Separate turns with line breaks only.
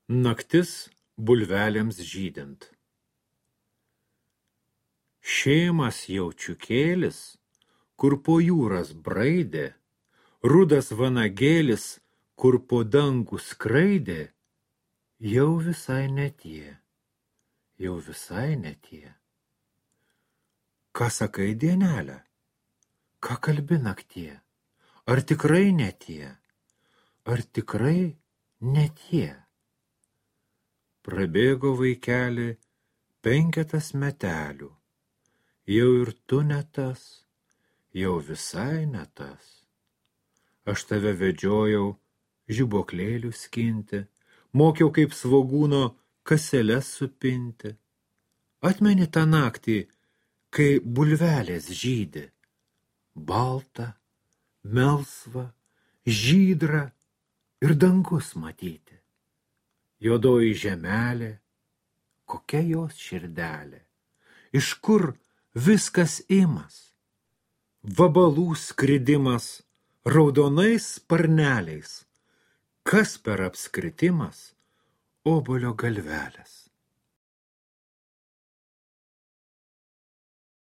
Naktis bulvelėms žydint. Šėmas jaučiukėlis, kur po jūras braidė, rudas vanagėlis, kur po dangų skraidė, jau visai netie, jau visai netie. Ką sakai, dienelė? Ką kalbi naktie? Ar tikrai netie? Ar tikrai netie? Prabėgo vaikeli 5 metelių, jau ir tu ne tas, jau visai ne tas. Aš tave vedžiojau žibuoklėlių skinti, mokiau kaip svogūno kaseles supinti. Atmeni tą naktį, kai bulvelės žydi, balta, melsva, žydra ir dangus matyti. Juodoji žemelė, kokia jos širdelė, iš kur viskas imas, vabalų skridimas raudonais sparneliais, kas per apskritimas obuolio galvelės.